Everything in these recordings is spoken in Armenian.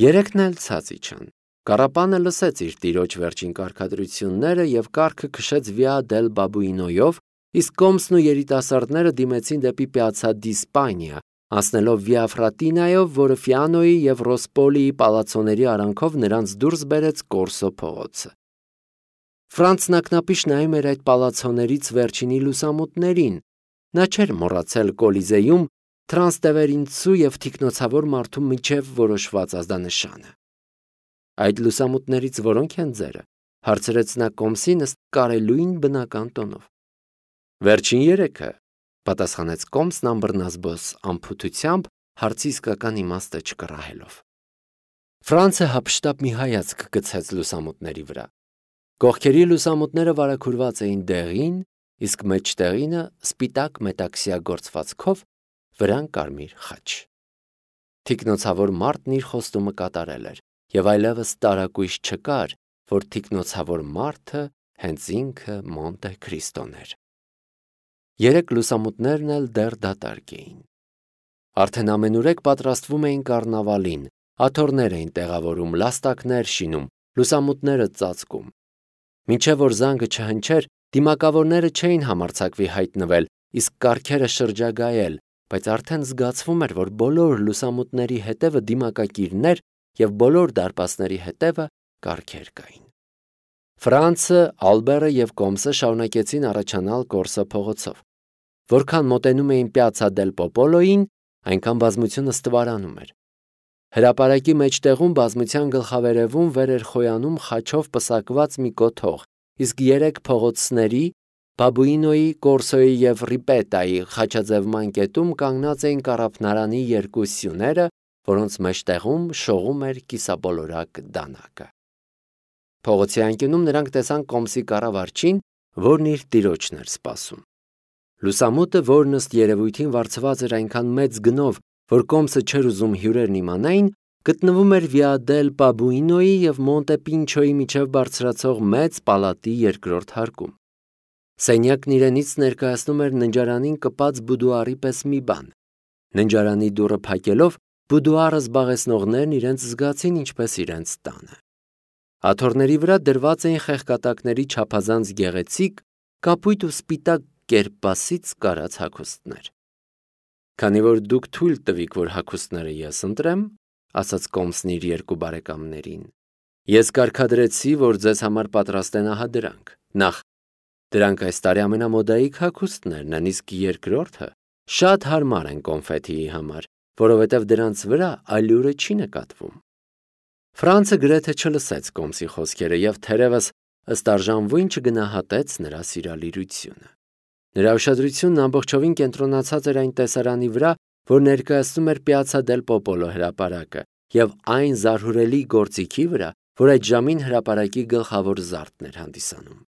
Երեքն էլ ցած իջան։ Կարապանը լսեց իր տիրոջ վերջին կարգադրությունները և կարգը քշեց Վիա դել Բաբուինոյով, իսկ կոմսն ու երիտասարդները դիմեցին դեպի Պիացցա դի Սպանիա, անցնելով Վիա Ֆրատինայով, որը Ֆիանոյի և Ռոսպոլիի պալացոների արանքով նրանց դուրս բերեց Կորսո փողոցը։ Ֆրանցն ակնապիշ նայում էր այդ պալացոներից վերջինի լուսամուտներին։ Նա չէր մոռացել Կոլիզեյում Տրանստևերինցու և թիկնոցավոր մարդու միջև որոշված ազդանշանը։ Այդ լուսամուտներից որոնք են ձերը, հարցրեց նա կոմսին ըստ կարելույն բնական տոնով։ Վերջին երեքը, պատասխանեց կոմսն անբռնազբոս անփութությամբ, հարցի իսկական իմաստը չկռահելով։ Ֆրանցը հափշտապ մի հայացք գցեց լուսամուտների վրա։ Կողքերի լուսամուտները վարագուրված էին դեղին, իսկ մեջտեղինը սպիտակ մետաքսյա գործվածքով, վրան կարմիր խաչ։ Թիկնոցավոր մարդն իր խոստումը կատարել էր, և այլևս տարակույս չկար, որ թիկնոցավոր մարդը հենց ինքը Մոնտե Քրիստոն էր։ Երեք լուսամուտներն էլ դեռ դատարկ էին։ Արդեն ամենուրեք պատրաստվում էին կառնավալին, աթոռներ էին տեղավորում, լաստակներ շինում, լուսամուտները ծածկում։ Մինչև որ զանգը չհնչեր, դիմակավորները չէին համարձակվի հայտնվել, իսկ կառքերը շրջագայել, բայց արդեն զգացվում էր, որ բոլոր լուսամուտների հետևը դիմակակիրներ և բոլոր դարպասների հետևը կառքեր կային։ Ֆրանցը, Ալբերը և կոմսը շարունակեցին առաջանալ Կորսո փողոցով։ Որքան մոտենում էին Պիացցա դել Պոպոլոյին, այնքան բազմությունը ստվարանում էր։ Հրապարակի մեջտեղում բազմության գլխավերևում վեր էր խոյանում խաչով պսակված մի կոթող, իսկ երեք փողոցների Բաբուինոյի, Կորսոյի և Ռիպետայի խաչաձև մանկետում կանգնած էին կառափնարանի երկու սյուները, որոնց մեջտեղում շողում էր կիսաբոլորակ դանակը։ Փողոցի անկյունում նրանք տեսան կոմսի կառավարչին, որն իր տիրոջն էր սպասում։ Լուսամուտը, որն ըստ երևույթին վարձված էր այնքան մեծ գնով, որ կոմսը չէր ուզում հյուրերն իմանային, գտնվում էր Վիա դել Բաբուինոյի և Մոնտե Պինչոյի միջև բարձրացող մեծ պալատի երկրորդ հարկում։ Սենյակն իրենից ներկայացնում էր ննջարանին կպած բուդուարի պես մի բան։ Ննջարանի դուռը փակելով, բուդուարը զբաղեցնողներն իրենց զգացին ինչպես իրենց տանը։ Աթոռների վրա դրված էին խեղկատակների չափազանց գեղեցիկ, կապույտ ու սպիտակ կերպասից կարած հագուստներ։ Քանի որ դուք թույլ տվիք, որ հագուստները ես ընտրեմ, ասաց կոմսն իր երկու բարեկամներին, ես կարգադրեցի, որ ձեզ համար պատրաստեն ահա դրանք։ Նախ, դրանք այս տարի ամենամոդայիկ հագուստներն են, իսկ երկրորդը շատ հարմար են կոնֆետիի համար, որովհետև դրանց վրա ալյուրը չի նկատվում։ Ֆրանցը գրեթե չլսեց կոմսի խոսքերը և թերևս ըստ արժանվույն չգնահատեց նրա սիրալիրությունը։ Նրա ուշադրությունն ամբողջովին կենտրոնացած էր այն տեսարանի վրա, որ ներկայացնում էր Պիացցա դել Պոպոլո հրապարակը, և այն զարհուրելի գործիքի վրա, որ այդ ժամին հրապարակի գլխավոր զարդն էր հանդիսանում։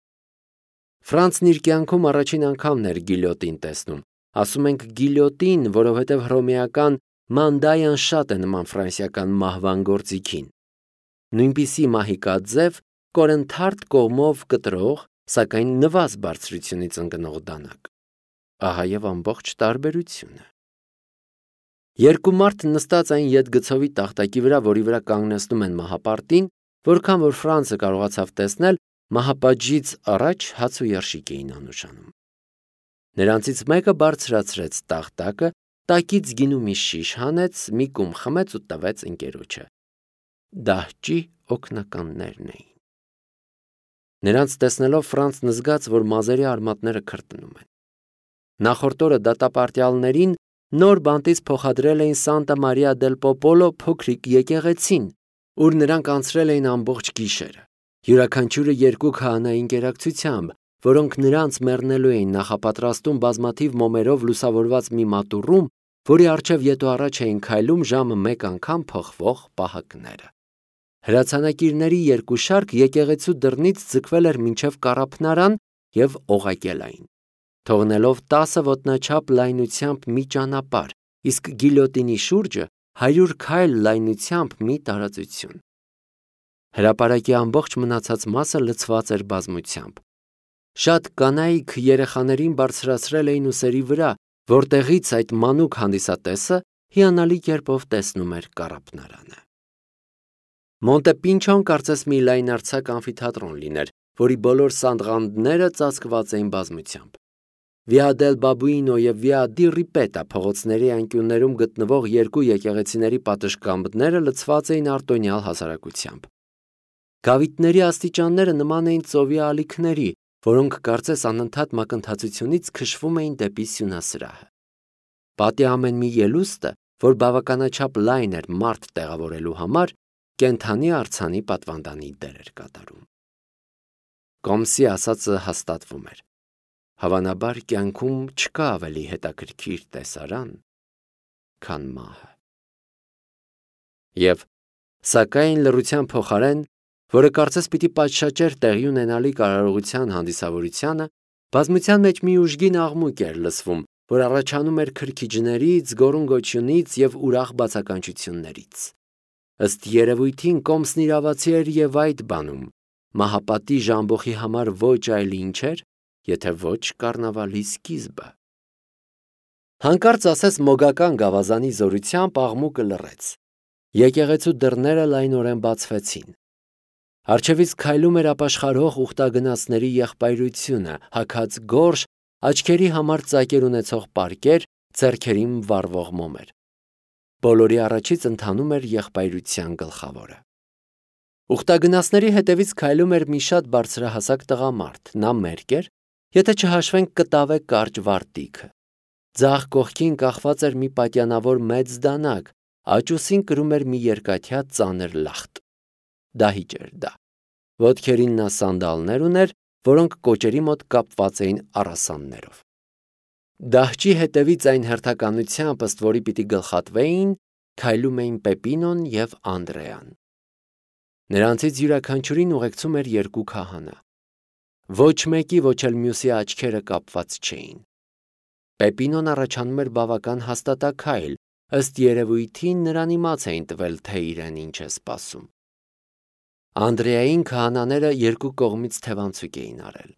Ֆրանցն իր կյանքում առաջին անգամն էր գիլյոտին տեսնում, ասում ենք գիլյոտին, որովհետև հռոմեական մանդայան շատ է նման ֆրանսիական մահվան գործիքին։ Նույնպիսի մահիկաձև, կորնթարդ կողմով կտրող, սակայն նվազ բարձրությունից ընկնող դանակ։ Ահա և ամբողջ տարբերությունը։ Երկու մարդ նստած այն ետգցովի տախտակի վրա, որի վրա կանգնեցնում են մահապարտին, որքան որ Ֆրանցը կարողացավ տեսնել, մահապատժից առաջ հաց ու երշիկ էին անուշանում։ Նրանցից մեկը բարձրացրեց տախտակը, տակից գինու մի շիշ հանեց, մի կում խմեց ու տվեց ընկերոջը։ Դահճի օգնականներն էին։ Նրանց տեսնելով Ֆրանցն զգաց, որ մազերի արմատները քրտնում են։ Նախորդ օրը դատապարտյալներին նոր բանտից փոխադրել էին Սանտա Մարիա դել Պոպոլո փոքրիկ եկեղեցին, ուր նրանք անցրել էին ամբողջ գիշերը։ Յուրաքանչյուրը երկու քահանայի ընկերակցությամբ, որոնք նրանց մեռնելու էին նախապատրաստում բազմաթիվ մոմերով լուսավորված մի մատուռում, որի առջև ետ ու առաջ էին քայլում ժամը մեկ անգամ փոխվող պահակները։ Հրացանակիրների երկու շարք եկեղեցու դռնից ձգվել էր մինչև կառափնարան և օղակել այն, թողնելով 10 ոտնաչափ լայնությամբ մի ճանապարհ, իսկ գիլյոտինի շուրջը 100 քայլ լայնությամբ մի տարածություն։ Հրապարակի ամբողջ մնացած մասը լցված էր բազմությամբ։ Շատ կանայք երեխաներին բարձրացրել էին ուսերի վրա, որտեղից այդ մանուկ հանդիսատեսը հիանալի կերպով տեսնում էր կառափնարանը։ Մոնտեպինչոն կարծես մի լայնարձակ ամֆիթատրոն լիներ, որի բոլոր սանդղանդները ծածկված էին բազմությամբ։ Վիա դել Բաբուինո և Վիա դի Ռիպետա փողոցների անկյուններում գտնվող երկու եկեղեցիների պատշգամբները լցված էին արտոնյալ հասարակությամբ։ Գավիթների աստիճանները նման էին ծովի ալիքների, որոնք կարծես անընդհատ մակընթացությունից քշվում էին դեպի սյունասրահը։ Պատի ամեն մի ելուստը, որ բավականաչափ լայն էր մարդ տեղավորելու համար, կենդանի արձանի պատվանդանի դեր էր կատարում։ Կոմսի ասածը հաստատվում էր։ Հավանաբար կյանքում չկա ավելի հետաքրքիր տեսարան, քան մահը։ Եվ, սակայն լռության փոխարեն, որը կարծես պիտի պատշաճեր տեղի ունենալի կարողության հանդիսավորությանը, բազմության մեջ մի ուժգին աղմուկ էր լսվում, որ առաջանում էր քրքիջներից, գոռում-գոչյունից և ուրախ բացականչություններից։ Ըստ երևույթին Կոմսն իրավացի էր և այդ բանում, մահապատի Ժամբոխի համար ոչ այլ ինչ էր, եթե ոչ կառնավալի սկիզբը։ Հանկարծ ասես մոգական գավազանի զորությամբ աղմուկը լռեց։ Եկեղեցու դռները լայնորեն բացվեցին։ Առջևից քայլում էր ապաշխարող ուխտագնացների եղբայրությունը, հագած գորշ, աչքերի համար ծակեր ունեցող պարկեր, ձեռքերին վառվող մոմեր։ Բոլորի առաջից ընթանում էր եղբայրության գլխավորը։ Ուխտագնացների հետևից քայլում էր մի շատ բարձրահասակ տղամարդ, նա մերկ էր, եթե չհաշվենք կտավե կարճ վարտիքը։ Ձախ կողքին կախված էր մի պատյանավոր մեծ դանակ, աճուսին կրում էր մի երկաթյա ծանր լախտ։ Դահիճ էր դա։ Ոտքերին նա սանդալներ ուներ, որոնք կոճերի մոտ կապված էին առասաններով։ Դահճի հետևից այն հերթականությամբ, ըստ որի պիտի գլխատվեին, քայլում էին Պեպինոն և Անդրեան։ Նրանցից յուրաքանչյուրին ուղեկցում էր երկու քահանա։ Ոչ մեկի, ոչ էլ մյուսի աչքերը կապված չէին։ Պեպինոն առաջանում էր բավական հաստատաքայլ, ըստ երևույթին նրան իմաց էին տվել, թե իրեն ինչ է սպասում։ Անդրեային քահանաները երկու կողմից թևանցուկ էին արել։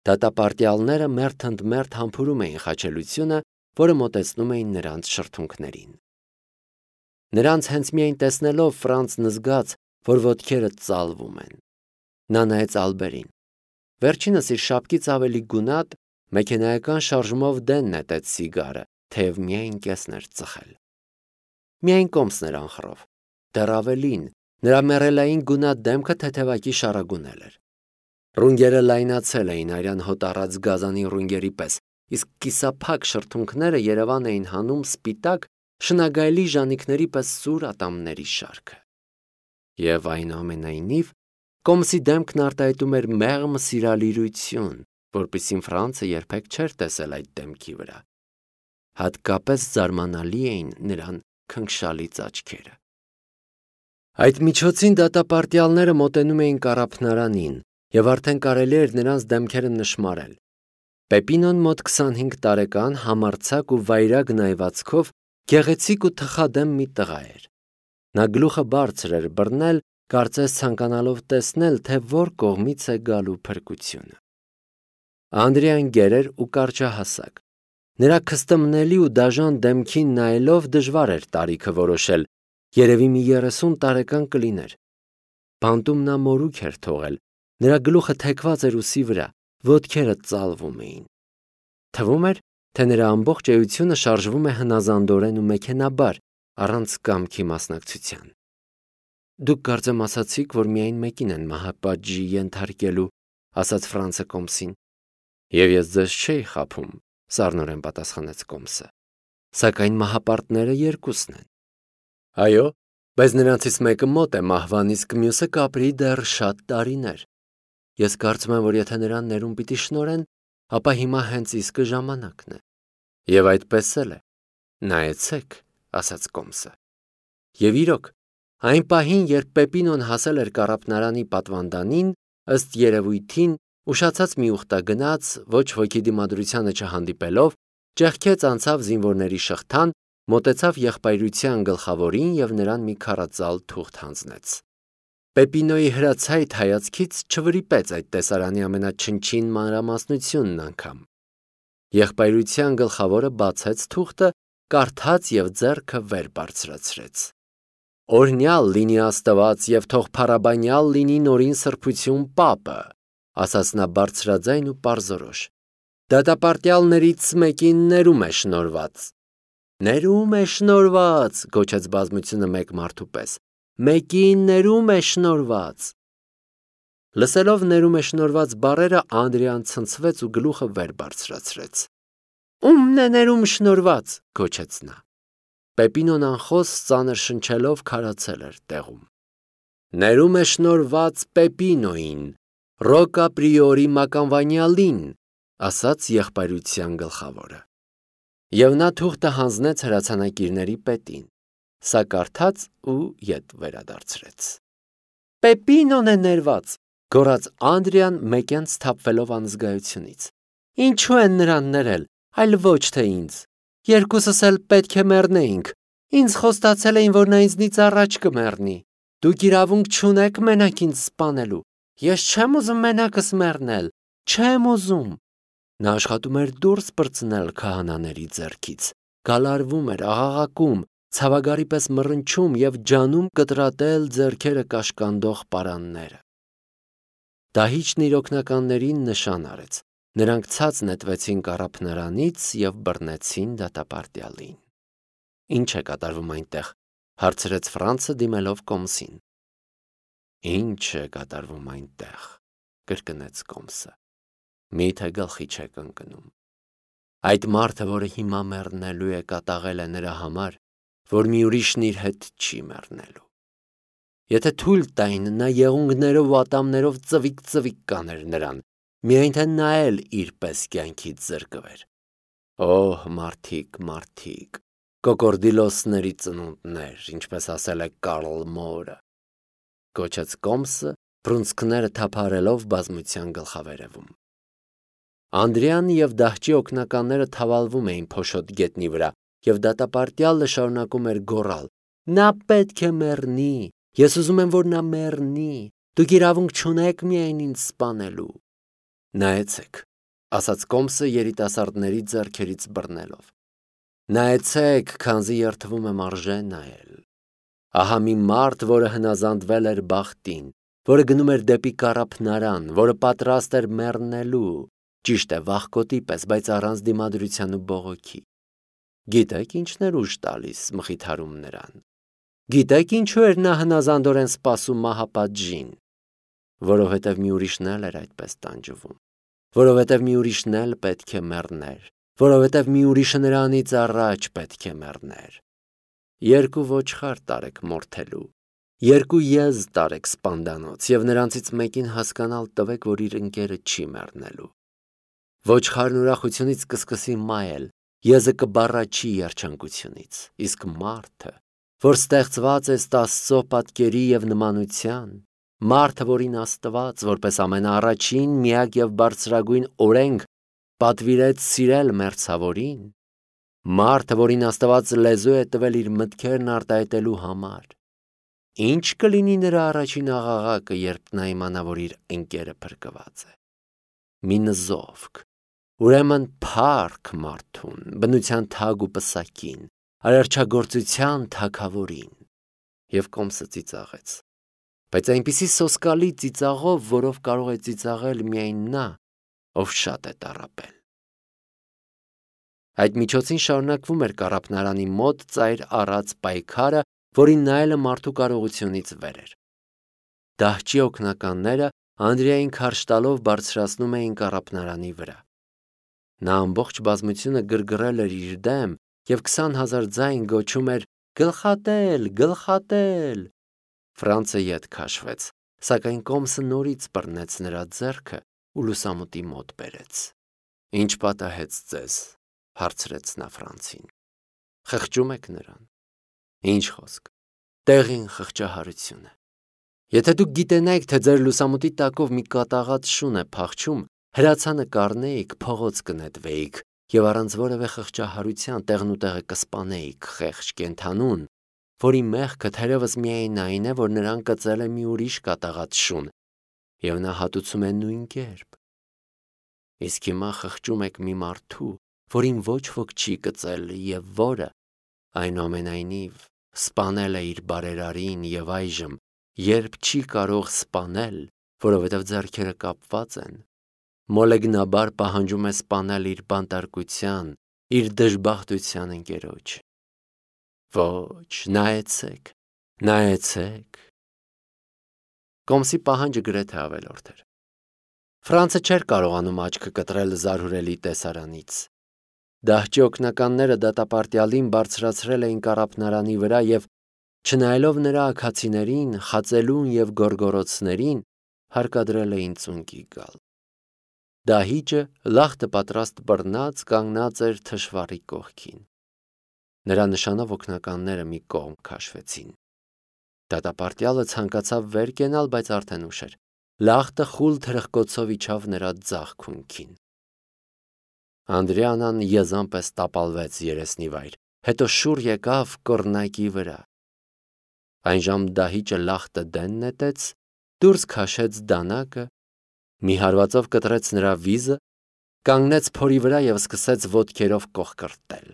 Դատապարտյալները մերթ ընդ մերթ համբուրում էին խաչելությունը, որը մոտեցնում էին նրանց շրթունքներին։ Նրանց հենց միայն տեսնելով Ֆրանցն զգաց, որ ոտքերը ծալվում են։ Նա նայեց Ալբերին։ Վերջինս իր շապկից ավելի գունատ, մեքենայական շարժումով դեն նետեց սիգարը, թեև միայն կեսն էր ծխել։ Միայն Կոմսն էր անխռով։ Դեռ ավելին, նրա մեռելային գունատ դեմքը թեթևակի շարագունել էր։ Ռունգերը լայնացել էին արյան հոտ առած գազանի ռունգերի պես, իսկ կիսափակ շրթունքները Երևան էին հանում սպիտակ, շնագայլի ժանիքների պես սուր ատամների շարքը։ Եվ այնուամենայնիվ, Կոմսի դեմքն արտահայտում էր մեղմ սիրալիրություն, որպեսզի Ֆրանցը երբեք չէր տեսել այդ դեմքի վրա։ Հատկապես զարմանալի էին նրան քնքշալից աչքերը։ Այդ միջոցին դատապարտյալները մոտենում էին կառափնարանին, և արդեն կարելի էր նրանց դեմքերը նշմարել։ Պեպինոն մոտ 25 տարեկան, համարձակ ու վայրագ նայվածքով գեղեցիկ ու թխադեմ մի տղա էր։ Նա գլուխը բարձր էր բռնել, կարծես ցանկանալով տեսնել, թե որ կողմից է գալու փրկությունը։ Անդրեան գեր էր ու կարճահասակ։ Նրա քստմնելի ու դաժան դեմքին նայելով դժվար էր տարիքը որոշել, երևի մի 30 տարեկան կլիներ։ Բանտում նա մորուք էր թողել, նրա գլուխը թեքված էր ուսի վրա, ոտքերը ծալվում էին։ Թվում էր, թե նրա ամբողջ էությունը շարժվում է հնազանդորեն ու մեքենաբար, առանց կամքի մասնակցության։ Դուք կարծեմ ասացիք, որ միայն մեկին են մահապատժի ենթարկելու, ասաց Ֆրանցը Կոմսին։ Եվ ես ձեզ չէի խաբում, սառնորեն պատասխանեց Կոմսը։ Սակայն մահապարտները երկուսն են։ Այո, բայց նրանցից մեկը մոտ է մահվան, իսկ մյուսը կապրի դեռ շատ տարիներ։ Ես կարծում եմ, որ եթե նրան ներում պիտի շնորեն, ապա հիմա հենց իսկը ժամանակն է։ Եվ այդպես էլ է։ Նայեցեք, ասաց Կոմսը։ Եվ իրոք, այն պահին, երբ Պեպինոն հասել էր կառափնարանի պատվանդանին, ըստ երևույթին, ուշացած մի ուխտագնաց, ոչ ոքի դիմադրությանը չհանդիպելով, ճեղքեց անցավ զինվորների շղթան, մոտեցավ եղբայրության գլխավորին և նրան մի քարածալ թուղթ հանձնեց։ Պեպինոյի հրացայտ հայացքից չվրիպեց այդ տեսարանի ամենաչնչին մանրամասնությունն անգամ։ Եղբայրության գլխավորը բացեց թուղթը, կարդաց և ձեռքը վեր բարձրացրեց։ Օրհնյալ լինի Աստված եւ թող փառաբանյալ լինի նորին սրբություն Պապը, ասաց նա բարձրաձայն ու պարզորոշ։ Դատապարտյալներից մեկին ներում է շնորված։ Ներում է շնորված, գոչեց բազմությունը մեկ մարդու պես։ Մեկին ներում է շնորված։ Լսելով ներում է շնորված բառերը Անդրեան ցնցվեց ու գլուխը վեր բարձրացրեց։ Ումն է ներում շնորված, գոչեց նա։ Պեպինոն անխոս ծանր շնչելով քարացել էր տեղում։ Ներում է շնորված Պեպինոին, Ռոկա պրիորի մականվանյալին, ասաց եղբայրության գլխավորը։ Եվ նա թուղթը հանձնեց հրացանակիրների պետին, սա կարդաց ու ետ վերադարձրեց։ Պեպինոն է ներված, գոռաց Անդրեան մեկյանց թափվելով անզգայությունից։ Ինչու են նրան ներել, այլ ոչ թե ինձ։ Երկուսս էլ պետք է մեռնեինք։ Ինձ խոստացել էին, որ նա ինձնից առաջ կմեռնի։ Դուք իրավունք չունեք մենակ ինձ սպանելու։ Ես չեմ ուզում մենակս մեռնել, չեմ ուզում։ Նա աշխատում էր դուրս պրծնել քահանաների ձեռքից, գալարվում էր, աղաղակում, ցավագարի պես մռնչում եւ ջանում կտրատել ձեռքերը կաշկանդող պարանները։ Դահիճն իր օգնականներին նշան արեց։ Նրանք ցած նետվեցին կառափնարանից եւ բռնեցին դատապարտյալին։ Ինչ է կատարվում այնտեղ, հարցրեց Ֆրանցը դիմելով Կոմսին։ Ինչ է կատարվում այնտեղ, կրկնեց Կոմսը։ Միթե գլխի չեք ընկնում։ Այդ մարդը, որը հիմա մեռնելու է, կատաղել է նրա համար, որ մի ուրիշն իր հետ չի մեռնելու։ Եթե թույլ տային, նա եղունգներով ու ատամներով ծվիկ կաներ նրան, միայն թե նա էլ իր պես կյանքից զրկվեր։ Օհ, մարդիկ, կոկորդիլոսների ծնունդներ, ինչպես ասել է Կարլ Մորը, գոչեց Կոմսը, բռունցքները թափարելով բազմության գլխավերևում։ Անդրեան եւ դահճի օգնականները թավալվում էին փոշոտ գետնի վրա, եւ դատապարտյալը շարունակում էր գոռալ. Նա պետք է մեռնի, ես ուզում եմ, որ նա մեռնի, դուք իրավունք չունեք միայն ինձ սպանելու։ Նայեցեք, ասաց Կոմսը երիտասարդների ձեռքերից բռնելով։ Նայեցեք, քանզի երթվում եմ արժե նայել։ Ահա մի մարդ, որը հնազանդվել էր բախտին, որը գնում էր դեպի կառափնարան, որը պատրաստ էր մեռնելու, ճիշտ է վախկոտի պես, բայց առանց դիմադրության ու բողոքի։ Գիտեք ինչն էր ուժ տալիս, մխիթարում նրան։ Գիտեք ինչու էր նա հնազանդորեն սպասում մահապատժին, որովհետև մի ուրիշն էլ էր այդպես տանջվում, որովհետև մի ուրիշն էլ պետք է մեռներ, որովհետև մի ուրիշը նրանից առաջ պետք է մեռներ։ Երկու ոչխար տարեք մորթելու, երկու եզ տարեք սպանդանոց և նրանցից մեկին հասկանալ տվեք, որ իր ընկերը չի մեռնելու։ Ոչխարն ուրախությունից կսկսի մայել, եզը կբառաչի երջանկությունից, իսկ մարդը, որ ստեղծված է Աստծո պատկերի և նմանության, մարդը, որին Աստված, որպես ամենաառաջին, միակ և բարձրագույն օրենք, պատվիրեց սիրել մերձավորին, մարդը, որին Աստված լեզու է տվել իր մտքերն արտահայտելու համար, ինչ կլինի նրա առաջին աղաղակը, երբ նա իմանա, որ իր ընկերը փրկված է։ Մի նզովք, ուրեմն փառք մարդուն, բնության թագ ու պսակին, արարչագործության թագավորին։ Եվ Կոմսը ծիծաղեց, բայց այնպիսի սոսկալի ծիծաղով, որով կարող է ծիծաղել միայն նա, ով շատ է տառապել։ Այդ միջոցին շարունակվում էր կառափնարանի մոտ ծայր առած պայքարը, որին նայելը մարդու կարողությունից վեր էր։ Դահճի օգնականները Անդրեային քարշ տալով բարձրացնում էին կառափնարանի վրա։ Նա ամբողջ բազմությունը գրգռել էր իր դեմ և 20,000 ձայն գոչում էր «Գլխատել, գլխատել»։ Ֆրանցը ետ քաշվեց, սակայն Կոմսը նորից բռնեց նրա ձեռքը ու լուսամուտի մոտ բերեց։ Ինչ պատահեց ձեզ, հարցրեց նա Ֆրանցին։ Խղճում եք նրան։ Ինչ խոսք, տեղին խղճահարություն է։ Եթե դուք գիտենայիք, թե ձեր լուսամուտի տակով մի կատաղած շուն է փախչում, հրացանը կառնեիք, փողոց կնետվեիք և առանց որևէ խղճահարության տեղնուտեղը կսպանեիք խեղճ կենդանուն, որի մեղքը թերևս միայն այն է, որ նրան կծել է մի ուրիշ կատաղած շուն, և նա հատուցում է նույն կերպ։ Իսկ հիմա խղճում եք մի մարդու, որին ոչ ոք չի կծել և որը, այնուամենայնիվ, սպանել է իր բարերարին և այժմ, երբ չի կարող սպանել, որովհետև ձեռքերը կապված են, մոլեգնաբար պահանջում է սպանել իր բանտարկության, իր դժբախտության ընկերոջ։ Ոչ, նայեցեք, նայեցեք։ Կոմսի պահանջը գրեթե ավելորդ էր։ Ֆրանցը չէր կարողանում աչքը կտրել զարհուրելի տեսարանից։ Դահճի օգնականները դատապարտյալին բարձրացրել էին կառափնարանի վրա և, չնայելով նրա աքացիներին, խածելուն և գոռգոռոցներին, հարկադրել էին ծունկի գալ։ Դահիճը, լախտը պատրաստ բռնած, կանգնած էր թշվառի կողքին։ Նրա նշանով օգնականները մի կողմ քաշվեցին։ Դատապարտյալը ցանկացավ վեր կենալ, բայց արդեն ուշ էր։ Լախտը խուլ թրխկոցով իջավ նրա ձախ քունքին։ Անդրեանան եզան պես տապալվեց երեսնի վայր, հետո շուռ եկավ կռնակի վրա։ Այն ժամ դահիճը լախտը դեն նետեց, դուրս քաշեց դանակը, մի հարվածով կտրեց նրա վիզը, կանգնեց փորի վրա և սկսեց ոտքերով կոխկրտել։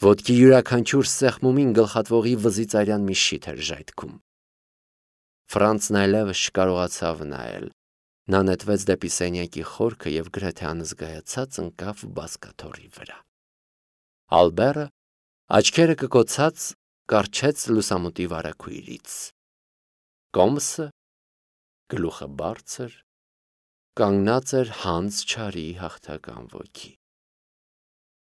Ոտքի յուրաքանչյուր սեղմումին գլխատվողի վզից արյան մի շիթ էր ժայթքում։ Ֆրանցն այլևս չկարողացավ նայել։ Նա նետվեց դեպի սենյակի խորքը և գրեթե անզգայացած ընկավ բազկաթոռի վրա։ Ալբերը, աչքերը կկոցած, կառչեց լուսամուտի վարագույրից։ Կոմսը, գլուխը բարձր, կանգնած էր հանց չարի հաղթական ոգի։